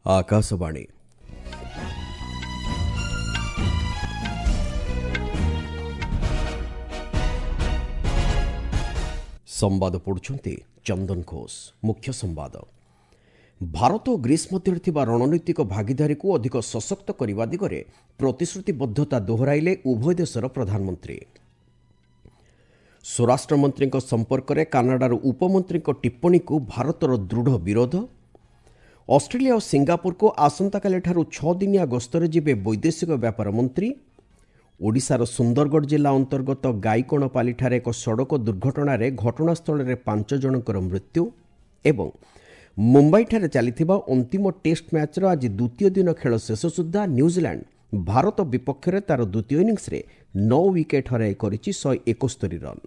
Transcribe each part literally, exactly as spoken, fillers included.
ଆକାଶବାଣୀ। ସମ୍ବାଦ ପଢ଼ୁଛନ୍ତି ଚନ୍ଦନ ଘୋଷ। ମୁଖ୍ୟ ସମ୍ବାଦ। ଭାରତ ଓ ଗ୍ରୀସ୍ ମଧ୍ୟରେ ଥିବା ରଣନୈତିକ ଭାଗିଦାରୀକୁ ଅଧିକ ସଶକ୍ତ କରିବା ଦିଗରେ ପ୍ରତିଶ୍ରୁତିବଦ୍ଧତା ଦୋହରାଇଲେ ଉଭୟ ଦେଶର ପ୍ରଧାନମନ୍ତ୍ରୀ। ସ୍ୱରାଷ୍ଟ୍ରମନ୍ତ୍ରୀଙ୍କ ସମ୍ପର୍କରେ କାନାଡାର ଉପମନ୍ତ୍ରୀଙ୍କ ଟିପ୍ପଣୀକୁ ଭାରତର ଦୃଢ଼ ବିରୋଧ। ଅଷ୍ଟ୍ରେଲିଆ ଓ ସିଙ୍ଗାପୁରକୁ ଆସନ୍ତାକାଲିଠାରୁ ଛଅ ଦିନିଆ ଗସ୍ତରେ ଯିବେ ବୈଦେଶିକ ବ୍ୟାପାର ମନ୍ତ୍ରୀ। ଓଡ଼ିଶାର ସୁନ୍ଦରଗଡ଼ ଜିଲ୍ଲା ଅନ୍ତର୍ଗତ ଗାଇକଣପାଲିଠାରେ ଏକ ସଡ଼କ ଦୁର୍ଘଟଣାରେ ଘଟଣାସ୍ଥଳରେ ପାଞ୍ଚ ଜଣଙ୍କର ମୃତ୍ୟୁ। ଏବଂ ମୁମ୍ବାଇଠାରେ ଚାଲିଥିବା ଅନ୍ତିମ ଟେଷ୍ଟ ମ୍ୟାଚ୍ର ଆଜି ଦ୍ୱିତୀୟ ଦିନ ଖେଳ ଶେଷ ସୁଦ୍ଧା ନ୍ୟୁଜିଲାଣ୍ଡ ଭାରତ ବିପକ୍ଷରେ ତା'ର ଦ୍ୱିତୀୟ ଇନିଂସରେ ନଅ ୱିକେଟ୍ ହରାଇ କରିଛି ଶହେ ଏକସ୍ତରୀ ରନ୍।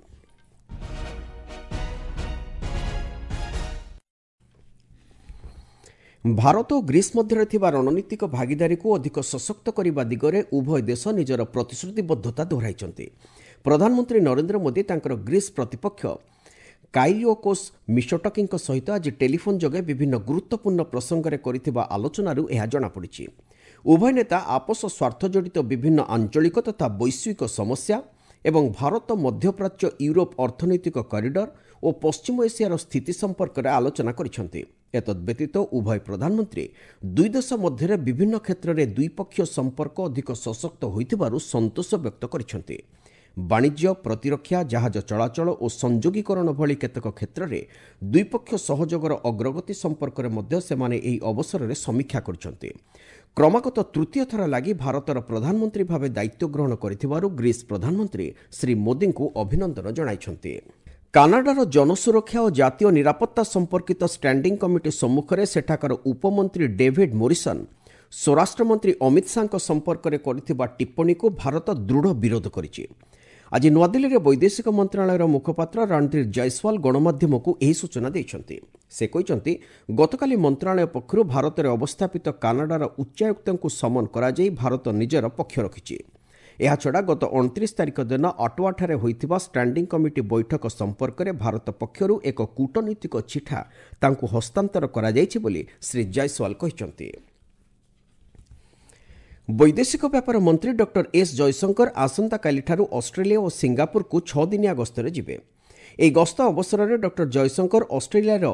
ଭାରତ ଓ ଗ୍ରୀସ୍ ମଧ୍ୟରେ ଥିବା ରଣନୀତିକ ଭାଗିଦାରୀକୁ ଅଧିକ ସଶକ୍ତ କରିବା ଦିଗରେ ଉଭୟ ଦେଶ ନିଜର ପ୍ରତିଶ୍ରୁତିବଦ୍ଧତା ଦୋହରାଇଛନ୍ତି। ପ୍ରଧାନମନ୍ତ୍ରୀ ନରେନ୍ଦ୍ର ମୋଦି ତାଙ୍କର ଗ୍ରୀସ୍ ପ୍ରତିପକ୍ଷ କାଇରିଓକୋସ୍ ମିଶୋଟକିଙ୍କ ସହିତ ଆଜି ଟେଲିଫୋନ୍ ଯୋଗେ ବିଭିନ୍ନ ଗୁରୁତ୍ୱପୂର୍ଣ୍ଣ ପ୍ରସଙ୍ଗରେ କରିଥିବା ଆଲୋଚନାରୁ ଏହା ଜଣାପଡ଼ିଛି। ଉଭୟ ନେତା ଆପୋଷ ସ୍ୱାର୍ଥ ଜଡ଼ିତ ବିଭିନ୍ନ ଆଞ୍ଚଳିକ ତଥା ବୈଶ୍ୱିକ ସମସ୍ୟା ଏବଂ ଭାରତ ମଧ୍ୟପ୍ରାଚ୍ୟ ୟୁରୋପ ଅର୍ଥନୈତିକ କରିଡର ଓ ପଶ୍ଚିମ ଏସିଆର ସ୍ଥିତି ସମ୍ପର୍କରେ ଆଲୋଚନା କରିଛନ୍ତି। ଏତଦ୍ବ୍ୟତୀତ ଉଭୟ ପ୍ରଧାନମନ୍ତ୍ରୀ ଦୁଇ ଦେଶ ମଧ୍ୟରେ ବିଭିନ୍ନ କ୍ଷେତ୍ରରେ ଦ୍ୱିପକ୍ଷୀୟ ସମ୍ପର୍କ ଅଧିକ ସଶକ୍ତ ହୋଇଥିବାରୁ ସନ୍ତୋଷ ବ୍ୟକ୍ତ କରିଛନ୍ତି। ବାଣିଜ୍ୟ, ପ୍ରତିରକ୍ଷା, ଜାହାଜ ଚଳାଚଳ ଓ ସଂଯୋଗୀକରଣ ଭଳି କେତେକ କ୍ଷେତ୍ରରେ ଦ୍ୱିପକ୍ଷ ସହଯୋଗର ଅଗ୍ରଗତି ସମ୍ପର୍କରେ ମଧ୍ୟ ସେମାନେ ଏହି ଅବସରରେ ସମୀକ୍ଷା କରିଛନ୍ତି। କ୍ରମାଗତ ତୃତୀୟ ଥର ଲାଗି ଭାରତର ପ୍ରଧାନମନ୍ତ୍ରୀ ଭାବେ ଦାୟିତ୍ୱ ଗ୍ରହଣ କରିଥିବାରୁ ଗ୍ରୀସ୍ ପ୍ରଧାନମନ୍ତ୍ରୀ ଶ୍ରୀ ମୋଦିଙ୍କୁ ଅଭିନନ୍ଦନ ଜଣାଇଛନ୍ତି। କାନାଡାର ଜନସୁରକ୍ଷା ଓ ଜାତୀୟ ନିରାପତ୍ତା ସମ୍ପର୍କିତ ଷ୍ଟାଣ୍ଡିଂ କମିଟି ସମ୍ମୁଖରେ ସେଠାକାର ଉପମନ୍ତ୍ରୀ ଡେଭିଡ୍ ମୋରିସନ୍ ସ୍ୱରାଷ୍ଟ୍ରମନ୍ତ୍ରୀ ଅମିତ ଶାହାଙ୍କ ସମ୍ପର୍କରେ କରିଥିବା ଟିପ୍ପଣୀକୁ ଭାରତ ଦୃଢ଼ ବିରୋଧ କରିଛି। ଆଜି ନୂଆଦିଲ୍ଲୀରେ ବୈଦେଶିକ ମନ୍ତ୍ରଣାଳୟର ମୁଖପାତ୍ର ରଣଧୀର ଜୟସ୍ୱାଲ ଗଣମାଧ୍ୟମକୁ ଏହି ସୂଚନା ଦେଇଛନ୍ତି। ସେ କହିଛନ୍ତି, ଗତକାଲି ମନ୍ତ୍ରଣାଳୟ ପକ୍ଷରୁ ଭାରତରେ ଅବସ୍ଥାପିତ କାନାଡାର ଉଚ୍ଚାୟୁକ୍ତଙ୍କୁ ସମନ କରାଯାଇ ଭାରତ ନିଜର ପକ୍ଷ ରଖିଛି। ଏହାଛଡ଼ା ଗତ ଅଣତିରିଶ ତାରିଖ ଦିନ ଅଟୱାଠାରେ ହୋଇଥିବା ଷ୍ଟାଣ୍ଡିଂ କମିଟି ବୈଠକ ସମ୍ପର୍କରେ ଭାରତ ପକ୍ଷରୁ ଏକ କୂଟନୈତିକ ଚିଠା ତାଙ୍କୁ ହସ୍ତାନ୍ତର କରାଯାଇଛି ବୋଲି ଶ୍ରୀ ଜୟସ୍ୱାଲ କହିଛନ୍ତି। ବୈଦେଶିକ ବ୍ୟାପାର ମନ୍ତ୍ରୀ ଡକ୍ଟର ଏସ୍ ଜୟଶଙ୍କର ଆସନ୍ତାକାଲିଠାରୁ ଅଷ୍ଟ୍ରେଲିଆ ଓ ସିଙ୍ଗାପୁରକୁ ଛଅ ଦିନିଆ ଗସ୍ତରେ ଯିବେ। ଏହି ଗସ୍ତ ଅବସରରେ ଡକ୍ଟର ଜୟଶଙ୍କର ଅଷ୍ଟ୍ରେଲିଆର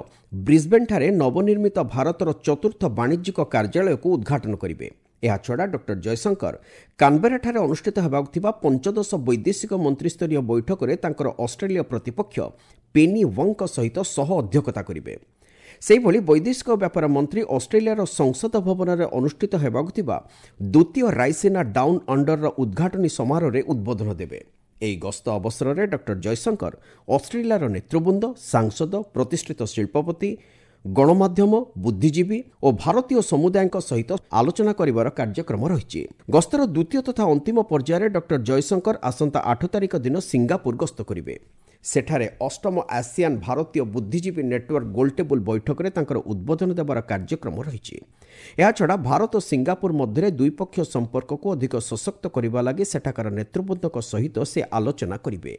ବ୍ରିସ୍ବେନ୍ଠାରେ ନବନିର୍ମିତ ଭାରତର ଚତୁର୍ଥ ବାଣିଜ୍ୟିକ କାର୍ଯ୍ୟାଳୟକୁ ଉଦ୍ଘାଟନ କରିବେ। ଏହାଛଡ଼ା ଡକ୍ଟର ଜୟଶଙ୍କର କାନବେରାଠାରେ ଅନୁଷ୍ଠିତ ହେବାକୁ ଥିବା ପଞ୍ଚଦଶ ବୈଦେଶିକ ମନ୍ତ୍ରୀସ୍ତରୀୟ ବୈଠକରେ ତାଙ୍କର ଅଷ୍ଟ୍ରେଲୀୟ ପ୍ରତିପକ୍ଷ ପେନି ୱଙ୍ଗଙ୍କ ସହିତ ସହ ଅଧ୍ୟକ୍ଷତା କରିବେ। ସେହିଭଳି ବୈଦେଶିକ ବ୍ୟାପାର ମନ୍ତ୍ରୀ ଅଷ୍ଟ୍ରେଲିଆର ସଂସଦ ଭବନରେ ଅନୁଷ୍ଠିତ ହେବାକୁ ଥିବା ଦ୍ୱିତୀୟ ରାଇସିନା ଡାଉନ୍ ଅଣ୍ଡରର ଉଦ୍ଘାଟନୀ ସମାରୋହରେ ଉଦ୍ବୋଧନ ଦେବେ। ଏହି ଗସ୍ତ ଅବସରରେ ଡକ୍ଟର ଜୟଶଙ୍କର ଅଷ୍ଟ୍ରେଲିଆର ନେତୃବୃନ୍ଦ, ସାଂସଦ, ପ୍ରତିଷ୍ଠିତ ଶିଳ୍ପପତି, ଗଣମାଧ୍ୟମ, ବୁଦ୍ଧିଜୀବୀ ଓ ଭାରତୀୟ ସମୁଦାୟଙ୍କ ସହିତ ଆଲୋଚନା କରିବାର କାର୍ଯ୍ୟକ୍ରମ ରହିଛି। ଗସ୍ତର ଦ୍ୱିତୀୟ ତଥା ଅନ୍ତିମ ପର୍ଯ୍ୟାୟରେ ଡକ୍ଟର ଜୟଶଙ୍କର ଆସନ୍ତା ଆଠ ତାରିଖ ଦିନ ସିଙ୍ଗାପୁର ଗସ୍ତ କରିବେ। ସେଠାରେ ଅଷ୍ଟମ ଆସିଆନ୍ ଭାରତୀୟ ବୁଦ୍ଧିଜୀବୀ ନେଟୱାର୍କ ଗୋଲଟେବୁଲ ବୈଠକରେ ତାଙ୍କର ଉଦ୍ବୋଧନ ଦେବାର କାର୍ଯ୍ୟକ୍ରମ ରହିଛି। ଏହାଛଡ଼ା ଭାରତ ଓ ସିଙ୍ଗାପୁର ମଧ୍ୟରେ ଦ୍ୱିପକ୍ଷୀୟ ସମ୍ପର୍କକୁ ଅଧିକ ସଶକ୍ତ କରିବା ଲାଗି ସେଠାକାର ନେତୃବୃନ୍ଦଙ୍କ ସହିତ ସେ ଆଲୋଚନା କରିବେ।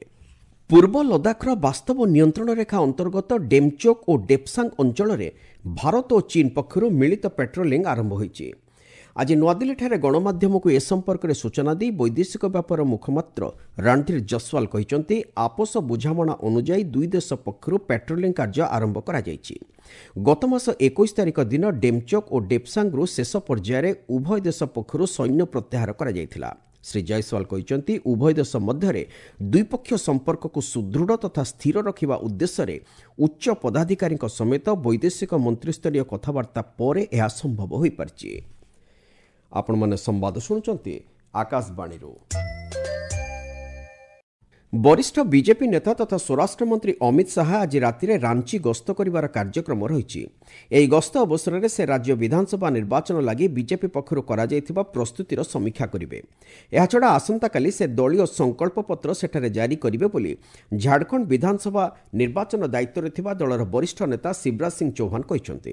ପୂର୍ବ ଲଦାଖର ବାସ୍ତବ ନିୟନ୍ତ୍ରଣ ରେଖା ଅନ୍ତର୍ଗତ ଡେମଚୋକ୍ ଓ ଡେପସାଙ୍ଗ ଅଞ୍ଚଳରେ ଭାରତ ଓ ଚୀନ ପକ୍ଷରୁ ମିଳିତ ପେଟ୍ରୋଲିଂ ଆରମ୍ଭ ହୋଇଛି। ଆଜି ନୂଆଦିଲ୍ଲୀଠାରେ ଗଣମାଧ୍ୟମକୁ ଏ ସମ୍ପର୍କରେ ସୂଚନା ଦେଇ ବୈଦେଶିକ ବ୍ୟାପାର ମୁଖପାତ୍ର ରଣଧୀର ଜୟସ୍ୱାଲ କହିଛନ୍ତି, ଆପୋଷ ବୁଝାମଣା ଅନୁଯାୟୀ ଦୁଇ ଦେଶ ପକ୍ଷରୁ ପେଟ୍ରୋଲିଂ କାର୍ଯ୍ୟ ଆରମ୍ଭ କରାଯାଇଛି। ଗତମାସ ଏକୋଇଶ ତାରିଖ ଦିନ ଡେମଚୋକ୍ ଓ ଡେପସାଙ୍ଗରୁ ଶେଷ ପର୍ଯ୍ୟାୟରେ ଉଭୟ ଦେଶ ପକ୍ଷରୁ ସୈନ୍ୟ ପ୍ରତ୍ୟାହାର କରାଯାଇଥିଲା। ଶ୍ରୀ ଜୟସ୍ୱାଲ କହିଛନ୍ତି, ଉଭୟ ଦେଶ ମଧ୍ୟରେ ଦ୍ୱିପକ୍ଷୀୟ ସମ୍ପର୍କକୁ ସୁଦୃଢ଼ ତଥା ସ୍ଥିର ରଖିବା ଉଦ୍ଦେଶ୍ୟରେ ଉଚ୍ଚ ପଦାଧିକାରୀଙ୍କ ସମେତ ବୈଦେଶିକ ମନ୍ତ୍ରୀସ୍ତରୀୟ କଥାବାର୍ତ୍ତା ପରେ ଏହା ସମ୍ଭବ ହୋଇପାରିଛି। ଆପଣମାନେ ସମ୍ବାଦ ଶୁଣୁଛନ୍ତି ଆକାଶବାଣୀରୁ। ବରିଷ୍ଠ ବିଜେପି ନେତା ତଥା ସ୍ୱରାଷ୍ଟ୍ରମନ୍ତ୍ରୀ ଅମିତ ଶାହା ଆଜି ରାତିରେ ରାଞ୍ଚି ଗସ୍ତ କରିବାର କାର୍ଯ୍ୟକ୍ରମ ରହିଛି। ଏହି ଗସ୍ତ ଅବସରରେ ସେ ରାଜ୍ୟ ବିଧାନସଭା ନିର୍ବାଚନ ଲାଗି ବିଜେପି ପକ୍ଷରୁ କରାଯାଇଥିବା ପ୍ରସ୍ତୁତିର ସମୀକ୍ଷା କରିବେ। ଏହାଛଡ଼ା ଆସନ୍ତାକାଲି ସେ ଦଳୀୟ ସଂକଳ୍ପପତ୍ର ସେଠାରେ ଜାରି କରିବେ ବୋଲି ଝାଡ଼ଖଣ୍ଡ ବିଧାନସଭା ନିର୍ବାଚନ ଦାୟିତ୍ୱରେ ଥିବା ଦଳର ବରିଷ୍ଠ ନେତା ଶିବରାଜ ସିଂ ଚୌହାନ କହିଛନ୍ତି।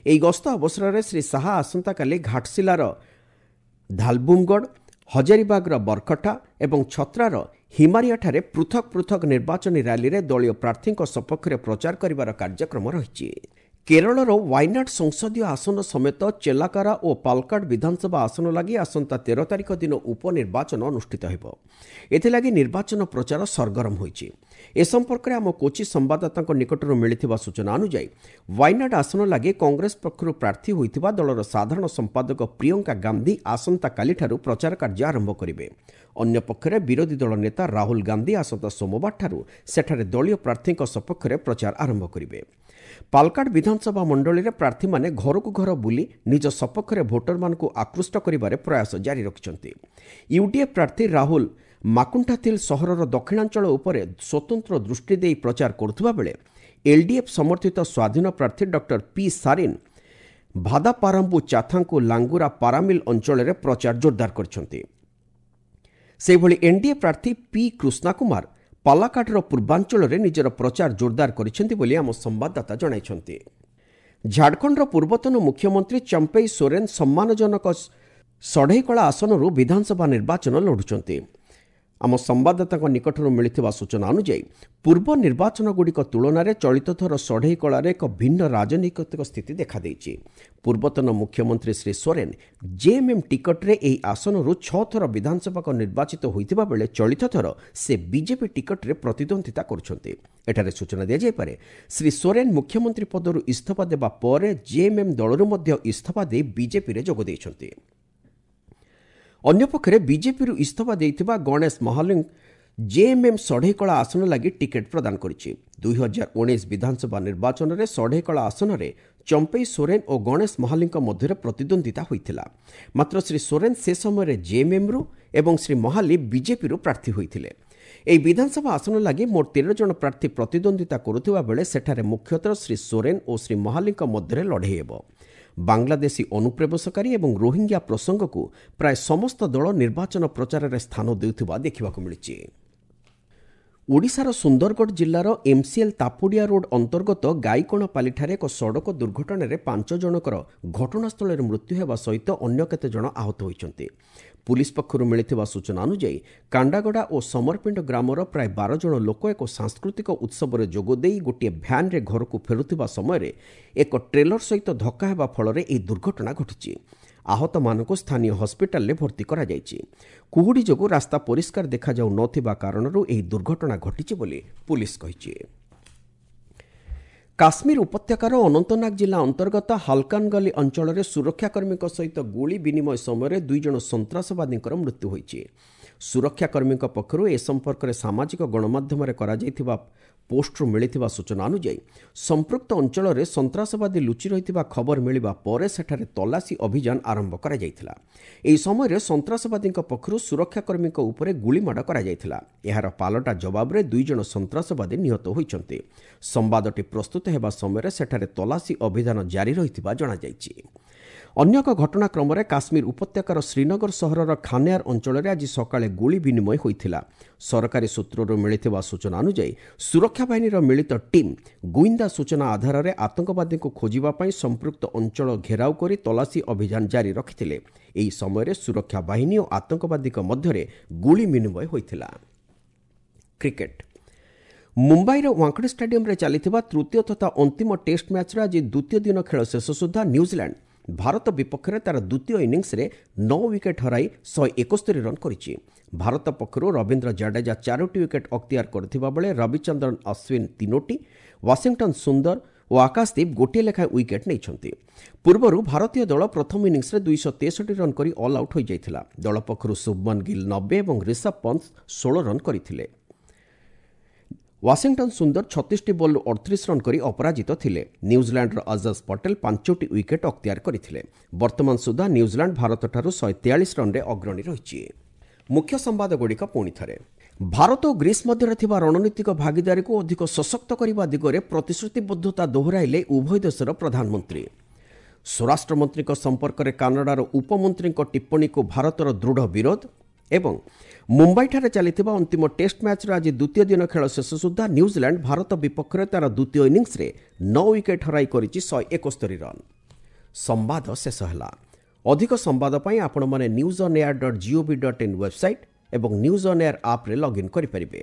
ଏହି ଗସ୍ତ ଅବସରରେ ଶ୍ରୀ ଶାହା ଆସନ୍ତାକାଲି ଘାଟଶିଲାର ଧାଲବୁମଗଡ଼, ହଜାରିବାଗର ବରକଠା ଏବଂ ଛତ୍ରାର ହିମାରିଆଠାରେ ପୃଥକ ପୃଥକ ନିର୍ବାଚନୀ ର୍ୟାଲିରେ ଦଳୀୟ ପ୍ରାର୍ଥୀଙ୍କ ସପକ୍ଷରେ ପ୍ରଚାର କରିବାର କାର୍ଯ୍ୟକ୍ରମ ରହିଛି। କେରଳର ୱାଇନାଡ୍ ସଂସଦୀୟ ଆସନ ସମେତ ଚେଲାକାରା ଓ ପାଲକାଡ୍ ବିଧାନସଭା ଆସନ ଲାଗି ଆସନ୍ତା ତେର ତାରିଖ ଦିନ ଉପନିର୍ବାଚନ ଅନୁଷ୍ଠିତ ହେବ। ଏଥିଲାଗି ନିର୍ବାଚନ ପ୍ରଚାର ସରଗରମ ହୋଇଛି। ଏ ସମ୍ପର୍କରେ ଆମ କୋଚି ସମ୍ବାଦଦାତାଙ୍କ ନିକଟରୁ ମିଳିଥିବା ସୂଚନା ଅନୁଯାୟୀ ୱାଇନାଡ୍ ଆସନ ଲାଗି କଂଗ୍ରେସ ପକ୍ଷରୁ ପ୍ରାର୍ଥୀ ହୋଇଥିବା ଦଳର ସାଧାରଣ ସମ୍ପାଦକ ପ୍ରିୟଙ୍କା ଗାନ୍ଧୀ ଆସନ୍ତାକାଲିଠାରୁ ପ୍ରଚାର କାର୍ଯ୍ୟ ଆରମ୍ଭ କରିବେ। ଅନ୍ୟପକ୍ଷରେ ବିରୋଧୀ ଦଳ ନେତା ରାହୁଲ ଗାନ୍ଧୀ ଆସନ୍ତା ସୋମବାରଠାରୁ ସେଠାରେ ଦଳୀୟ ପ୍ରାର୍ଥୀଙ୍କ ସପକ୍ଷରେ ପ୍ରଚାର ଆରମ୍ଭ କରିବେ। ପାଲକାଡ୍ ବିଧାନସଭା ମଣ୍ଡଳୀରେ ପ୍ରାର୍ଥୀମାନେ ଘରକୁ ଘର ବୁଲି ନିଜ ସପକ୍ଷରେ ଭୋଟରମାନଙ୍କୁ ଆକୃଷ୍ଟ କରିବାରେ ପ୍ରୟାସ ଜାରି ରଖିଛନ୍ତି। ୟୁଡିଏଫ୍ ପ୍ରାର୍ଥୀ ରାହୁଲ ମାକୁଣ୍ଠାଥିଲ ସହରର ଦକ୍ଷିଣାଞ୍ଚଳ ଉପରେ ସ୍ୱତନ୍ତ୍ର ଦୃଷ୍ଟି ଦେଇ ପ୍ରଚାର କରୁଥିବା ବେଳେ ଏଲ୍ଡିଏଫ୍ ସମର୍ଥିତ ସ୍ୱାଧୀନ ପ୍ରାର୍ଥୀ ଡକ୍ଟର ପି ସାରିନ୍ ଭାଦାପାରାମ୍ବୁ ଚାଥାଙ୍କୁ ଲାଙ୍ଗୁରା ପାରାମିଲ ଅଞ୍ଚଳରେ ପ୍ରଚାର ଜୋରଦାର କରିଛନ୍ତି। ସେହିଭଳି ଏନ୍ଡିଏ ପ୍ରାର୍ଥୀ ପି କୃଷ୍ଣାକୁମାର ପାଲାକାଡ୍ର ପୂର୍ବାଞ୍ଚଳରେ ନିଜର ପ୍ରଚାର ଜୋରଦାର କରିଛନ୍ତି ବୋଲି ଆମ ସମ୍ବାଦଦାତା ଜଣାଇଛନ୍ତି। ଝାଡ଼ଖଣ୍ଡର ପୂର୍ବତନ ମୁଖ୍ୟମନ୍ତ୍ରୀ ଚମ୍ପେଇ ସୋରେନ ସମ୍ମାନଜନକ ସଢ଼େଇକଳା ଆସନରୁ ବିଧାନସଭା ନିର୍ବାଚନ ଲଢ଼ୁଛନ୍ତି। ଆମ ସମ୍ବାଦଦାତାଙ୍କ ନିକଟରୁ ମିଳିଥିବା ସୂଚନା ଅନୁଯାୟୀ ପୂର୍ବ ନିର୍ବାଚନଗୁଡ଼ିକ ତୁଳନାରେ ଚଳିତ ଥର ସଢ଼େଇକଳାରେ ଏକ ଭିନ୍ନ ରାଜନୈତିକ ସ୍ଥିତି ଦେଖାଦେଇଛି। ପୂର୍ବତନ ମୁଖ୍ୟମନ୍ତ୍ରୀ ଶ୍ରୀ ସୋରେନ ଜେଏମ୍ଏମ୍ ଟିକଟରେ ଏହି ଆସନରୁ ଛଅ ଥର ବିଧାନସଭାକୁ ନିର୍ବାଚିତ ହୋଇଥିବା ବେଳେ ଚଳିତ ଥର ସେ ବିଜେପି ଟିକଟରେ ପ୍ରତିଦ୍ୱନ୍ଦିତା କରୁଛନ୍ତି। ଏଠାରେ ସୂଚନା ଦିଆଯାଇପାରେ, ଶ୍ରୀ ସୋରେନ ମୁଖ୍ୟମନ୍ତ୍ରୀ ପଦରୁ ଇସ୍ତଫା ଦେବା ପରେ ଜେଏମ୍ଏମ୍ ଦଳରୁ ମଧ୍ୟ ଇସ୍ତଫା ଦେଇ ବିଜେପିରେ ଯୋଗ ଦେଇଛନ୍ତି। ଅନ୍ୟପକ୍ଷରେ ବିଜେପିରୁ ଇସ୍ତଫା ଦେଇଥିବା ଗଣେଶ ମହାଲିଙ୍ଗ ଜେଏମ୍ଏମ୍ ସଢ଼େଇକଳା ଆସନ ଲାଗି ଟିକେଟ୍ ପ୍ରଦାନ କରିଛି। ଦୁଇ ହଜାର ଉଣେଇଶ ବିଧାନସଭା ନିର୍ବାଚନରେ ସଢ଼େଇକଳା ଆସନରେ ଚମ୍ପେଇ ସୋରେନ ଓ ଗଣେଶ ମହାଲିଙ୍କ ମଧ୍ୟରେ ପ୍ରତିଦ୍ୱନ୍ଦିତା ହୋଇଥିଲା। ମାତ୍ର ଶ୍ରୀ ସୋରେନ ସେ ସମୟରେ ଜେଏମ୍ଏମ୍ରୁ ଏବଂ ଶ୍ରୀ ମହାଲି ବିଜେପିରୁ ପ୍ରାର୍ଥୀ ହୋଇଥିଲେ। ଏହି ବିଧାନସଭା ଆସନ ଲାଗି ମୋଟ ତେର ଜଣ ପ୍ରାର୍ଥୀ ପ୍ରତିଦ୍ୱନ୍ଦିତା କରୁଥିବା ବେଳେ ସେଠାରେ ମୁଖ୍ୟତଃ ଶ୍ରୀ ସୋରେନ ଓ ଶ୍ରୀ ମହାଲିଙ୍କ ମଧ୍ୟରେ ଲଢ଼େଇ ହେବ। ବାଂଲାଦେଶୀ ଅନୁପ୍ରବେଶକାରୀ ଏବଂ ରୋହିଙ୍ଗ୍ୟା ପ୍ରସଙ୍ଗକୁ ପ୍ରାୟ ସମସ୍ତ ଦଳ ନିର୍ବାଚନ ପ୍ରଚାରରେ ସ୍ଥାନ ଦେଉଥିବା ଦେଖିବାକୁ ମିଳିଛି। ଓଡ଼ିଶାର ସୁନ୍ଦରଗଡ଼ ଜିଲ୍ଲାର ଏମ୍ସିଏଲ୍ ତାପୁଡ଼ିଆ ରୋଡ୍ ଅନ୍ତର୍ଗତ ଗାଇକଣପାଲିଠାରେ ଏକ ସଡ଼କ ଦୁର୍ଘଟଣାରେ ପାଞ୍ଚ ଜଣଙ୍କର ଘଟଣାସ୍ଥଳରେ ମୃତ୍ୟୁ ହେବା ସହିତ ଅନ୍ୟ କେତେଜଣ ଆହତ ହୋଇଛନ୍ତି। ପୁଲିସ୍ ପକ୍ଷରୁ ମିଳିଥିବା ସୂଚନା ଅନୁଯାୟୀ କାଣ୍ଡାଗଡ଼ା ଓ ସମରପିଣ୍ଡ ଗ୍ରାମର ପ୍ରାୟ ବାର ଜଣ ଲୋକ ଏକ ସାଂସ୍କୃତିକ ଉତ୍ସବରେ ଯୋଗଦେଇ ଗୋଟିଏ ଭ୍ୟାନ୍ରେ ଘରକୁ ଫେରୁଥିବା ସମୟରେ ଏକ ଟ୍ରେଲର ସହିତ ଧକ୍କା ହେବା ଫଳରେ ଏହି ଦୁର୍ଘଟଣା ଘଟିଛି। ଆହତମାନଙ୍କୁ ସ୍ଥାନୀୟ ହସ୍ପିଟାଲରେ ଭର୍ତ୍ତି କରାଯାଇଛି। କୁହୁଡ଼ି ଯୋଗୁଁ ରାସ୍ତା ପରିଷ୍କାର ଦେଖାଯାଉ ନଥିବା କାରଣରୁ ଏହି ଦୁର୍ଘଟଣା ଘଟିଛି ବୋଲି ପୁଲିସ୍ କହିଛି। କାଶ୍ମୀର ଉପତ୍ୟକାର ଅନନ୍ତନାଗ ଜିଲ୍ଲା ଅନ୍ତର୍ଗତ ହାଲକାନଗଲି ଅଞ୍ଚଳରେ ସୁରକ୍ଷାକର୍ମୀଙ୍କ ସହିତ ଗୁଳି ବିନିମୟ ସମୟରେ ଦୁଇ ଜଣ ସନ୍ତ୍ରାସବାଦୀଙ୍କର ମୃତ୍ୟୁ ହୋଇଛି। ସୁରକ୍ଷାକର୍ମୀଙ୍କ ପକ୍ଷରୁ ଏ ସମ୍ପର୍କରେ ସାମାଜିକ ଗଣମାଧ୍ୟମରେ କରାଯାଇଥିବା ପୋଷ୍ଟରୁ ମିଳିଥିବା ସୂଚନା ଅନୁଯାୟୀ ସମ୍ପୃକ୍ତ ଅଞ୍ଚଳରେ ସନ୍ତ୍ରାସବାଦୀ ଲୁଚି ରହିଥିବା ଖବର ମିଳିବା ପରେ ସେଠାରେ ତଲାସୀ ଅଭିଯାନ ଆରମ୍ଭ କରାଯାଇଥିଲା। ଏହି ସମୟରେ ସନ୍ତ୍ରାସବାଦୀଙ୍କ ପକ୍ଷରୁ ସୁରକ୍ଷାକର୍ମୀଙ୍କ ଉପରେ ଗୁଳିମାଡ଼ କରାଯାଇଥିଲା। ଏହାର ପାଲଟା ଜବାବରେ ଦୁଇ ଜଣ ସନ୍ତ୍ରାସବାଦୀ ନିହତ ହୋଇଛନ୍ତି। ସମ୍ବାଦଟି ପ୍ରସ୍ତୁତ ହେବା ସମୟରେ ସେଠାରେ ତଲାସୀ ଅଭିଯାନ ଜାରି ରହିଥିବା ଜଣାଯାଇଛି। ଅନ୍ୟ ଏକ ଘଟଣାକ୍ରମରେ କାଶ୍ମୀର ଉପତ୍ୟକାର ଶ୍ରୀନଗର ସହରର ଖାନିୟାର ଅଞ୍ଚଳରେ ଆଜି ସକାଳେ ଗୁଳି ବିନିମୟ ହୋଇଥିଲା। ସରକାରୀ ସୂତ୍ରରୁ ମିଳିଥିବା ସୂଚନା ଅନୁଯାୟୀ ସୁରକ୍ଷା ବାହିନୀର ମିଳିତ ଟିମ୍ ଗୁଇନ୍ଦା ସୂଚନା ଆଧାରରେ ଆତଙ୍କବାଦୀଙ୍କୁ ଖୋଜିବା ପାଇଁ ସମ୍ପୃକ୍ତ ଅଞ୍ଚଳ ଘେରାଉ କରି ତଲାସୀ ଅଭିଯାନ ଜାରି ରଖିଥିଲେ। ଏହି ସମୟରେ ସୁରକ୍ଷା ବାହିନୀ ଓ ଆତଙ୍କବାଦୀଙ୍କ ମଧ୍ୟରେ ଗୁଳି ବିନିମୟ ହୋଇଥିଲା। କ୍ରିକେଟ୍, ମୁମ୍ବାଇର ୱାଙ୍କଡ଼େ ଷ୍ଟାଡିୟମରେ ଚାଲିଥିବା ତୃତୀୟ ତଥା ଅନ୍ତିମ ଟେଷ୍ଟ ମ୍ୟାଚ୍ର ଆଜି ଦ୍ୱିତୀୟ ଦିନ ଖେଳ ଶେଷ ସୁଦ୍ଧା ନ୍ୟୁଜିଲାଣ୍ଡ ଭାରତ ବିପକ୍ଷରେ ତାର ଦ୍ୱିତୀୟ ଇନିଂସରେ ନଅ ୱିକେଟ୍ ହରାଇ ଶହେ ଏକସ୍ତରୀ ରନ୍ କରିଛି। ଭାରତ ପକ୍ଷରୁ ରବୀନ୍ଦ୍ର ଜାଡେଜା ଚାରୋଟି ୱିକେଟ୍ ଅକ୍ତିଆର କରିଥିବା ବେଳେ ରବିଚନ୍ଦ୍ରନ ଅଶ୍ୱିନ ତିନୋଟି, ୱାଶିଂଟନ୍ ସୁନ୍ଦର ଓ ଆକାଶଦୀପ ଗୋଟିଏ ଲେଖାଏଁ ୱିକେଟ୍ ନେଇଛନ୍ତି। ପୂର୍ବରୁ ଭାରତୀୟ ଦଳ ପ୍ରଥମ ଇନିଂସରେ ଦୁଇଶହ ତେଷଠି ରନ୍ କରି ଅଲ୍ ଆଉଟ୍ ହୋଇଯାଇଥିଲା। ଦଳ ପକ୍ଷରୁ ଶୁଭମନ ଗିଲ୍ ନବେ ଏବଂ ରିଷଭ ପନ୍ତ ଷୋହଳ ରନ୍ କରିଥିଲେ। ୱାଶିଂଟନ୍ ସୁନ୍ଦର ଛତିଶଟି ବଲ୍ରୁ ଅଠତିରିଶ ରନ୍ କରି ଅପରାଜିତ ଥିଲେ। ନ୍ୟୁଜିଲାଣ୍ଡର ଅଜଜ ପଟେଲ ପାଞ୍ଚଟି ୱିକେଟ୍ ଅକ୍ତିଆର କରିଥିଲେ। ବର୍ତ୍ତମାନ ସୁଦ୍ଧା ନ୍ୟୁଜିଲାଣ୍ଡ ଭାରତଠାରୁ ଶହେ ତେୟାଳିଶ ରନ୍ରେ ଅଗ୍ରଣୀ ରହିଛି। ମୁଖ୍ୟ ସମ୍ବାଦଗୁଡ଼ିକ ପୁଣି ଥରେ। ଭାରତ ଓ ଗ୍ରୀସ୍ ମଧ୍ୟରେ ଥିବା ରଣନୀତିକ ଭାଗିଦାରୀକୁ ଅଧିକ ସଶକ୍ତ କରିବା ଦିଗରେ ପ୍ରତିଶ୍ରୁତିବଦ୍ଧତା ଦୋହରାଇଲେ ଉଭୟ ଦେଶର ପ୍ରଧାନମନ୍ତ୍ରୀ। ସ୍ୱରାଷ୍ଟ୍ରମନ୍ତ୍ରୀଙ୍କ ସମ୍ପର୍କରେ କାନାଡାର ଉପମନ୍ତ୍ରୀଙ୍କ ଟିପ୍ପଣୀକୁ ଭାରତର ଦୃଢ଼ ବିରୋଧ। ଏବଂ ମୁମ୍ବାଇଠାରେ ଚାଲିଥିବା ଅନ୍ତିମ ଟେଷ୍ଟ ମ୍ୟାଚ୍ର ଆଜି ଦ୍ୱିତୀୟ ଦିନ ଖେଳ ଶେଷ ସୁଦ୍ଧା ନ୍ୟୁଜିଲାଣ୍ଡ ଭାରତ ବିପକ୍ଷରେ ତା'ର ଦ୍ୱିତୀୟ ଇନିଂସରେ ନଅ ୱିକେଟ୍ ହରାଇ କରିଛି ଶହେ ଏକସ୍ତରୀ ରନ୍। ସମ୍ବାଦ ଶେଷ ହେଲା। ଅଧିକ ସମ୍ବାଦ ପାଇଁ ଆପଣମାନେ news on air dot gov dot in website ଏବଂ ନ୍ୟୁଜ୍ ଅନ୍ ଏୟାର ଆପ୍ରେ ଲଗ୍ଇନ୍ କରିପାରିବେ।